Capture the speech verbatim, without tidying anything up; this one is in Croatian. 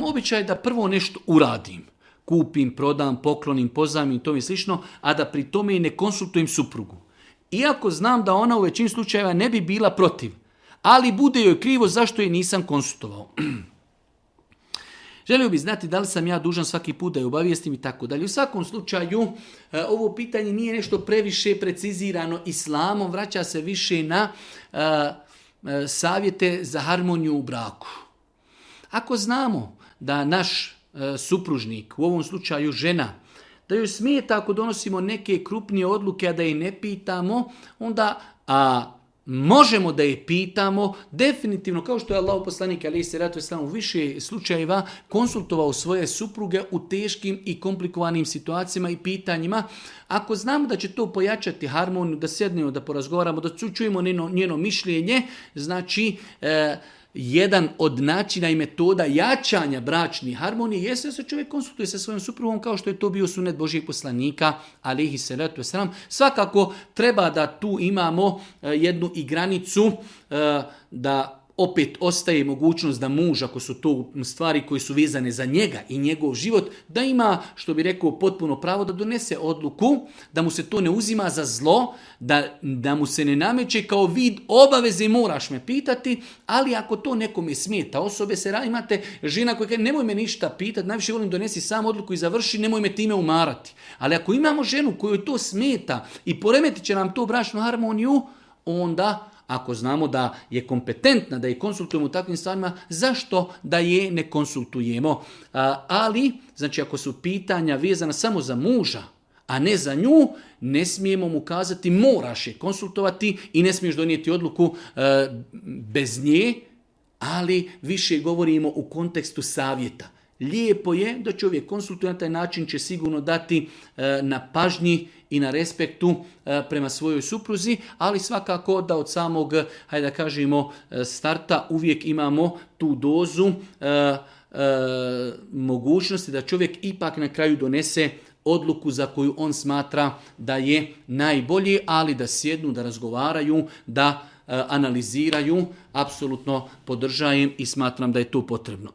imam običaj da prvo nešto uradim. Kupim, prodam, poklonim, pozajmim i tome slično, a da pri tome i ne konsultujem suprugu. Iako znam da ona u većini slučajeva ne bi bila protiv, ali bude joj krivo zašto je nisam konsultovao. Želio bih znati da li sam ja dužan svaki put da je obavijestim i tako dalje. U svakom slučaju, ovo pitanje nije nešto previše precizirano islamom, vraća se više na uh, savjete za harmoniju u braku. Ako znamo da naš uh, supružnik, u ovom slučaju žena, da joj smijeta ako donosimo neke krupnije odluke, a da je ne pitamo, onda a, možemo da je pitamo, definitivno, kao što je Allah poslanik alejhi selatu vesselam u više slučajeva konsultovao svoje supruge u teškim i komplikovanim situacijama i pitanjima. Ako znamo da će to pojačati harmoniju, da sjednemo, da porazgovaramo, da čujemo njeno, njeno mišljenje, znači e, jedan od načina i metoda jačanja bračne harmonije jeste da se čovjek konsultuje sa svojom suprugom kao što je to bio sunet Božijeg poslanika alejhi selatu vesselam. Svakako treba da tu imamo jednu i granicu da opet ostaje mogućnost da muž, ako su to stvari koje su vezane za njega i njegov život, da ima, što bi rekao, potpuno pravo da donese odluku, da mu se to ne uzima za zlo, da, da mu se ne nameće kao vid obaveze, moraš me pitati, ali ako to nekome smeta, osobe se radi, imate žena koja kaže nemoj me ništa pitati, najviše volim donesi sam odluku i završi, nemoj me time umarati. Ali ako imamo ženu kojoj to smeta i poremetit će nam to bračnu harmoniju, onda ako znamo da je kompetentna, da je konsultujemo u takvim stvarima, zašto da je ne konsultujemo? A, ali, znači ako su pitanja vezana samo za muža, a ne za nju, ne smijemo mu kazati moraš je konsultovati i ne smiješ donijeti odluku e, bez nje, ali više govorimo u kontekstu savjeta. Lijepo je da čovjek konsultuje na taj način, će sigurno dati e, na pažnji i na respektu e, prema svojoj supruzi, ali svakako da od samog, hajde da kažemo, starta uvijek imamo tu dozu e, e, mogućnosti da čovjek ipak na kraju donese odluku za koju on smatra da je najbolji, ali da sjednu, da razgovaraju, da e, analiziraju, apsolutno podržajem i smatram da je to potrebno.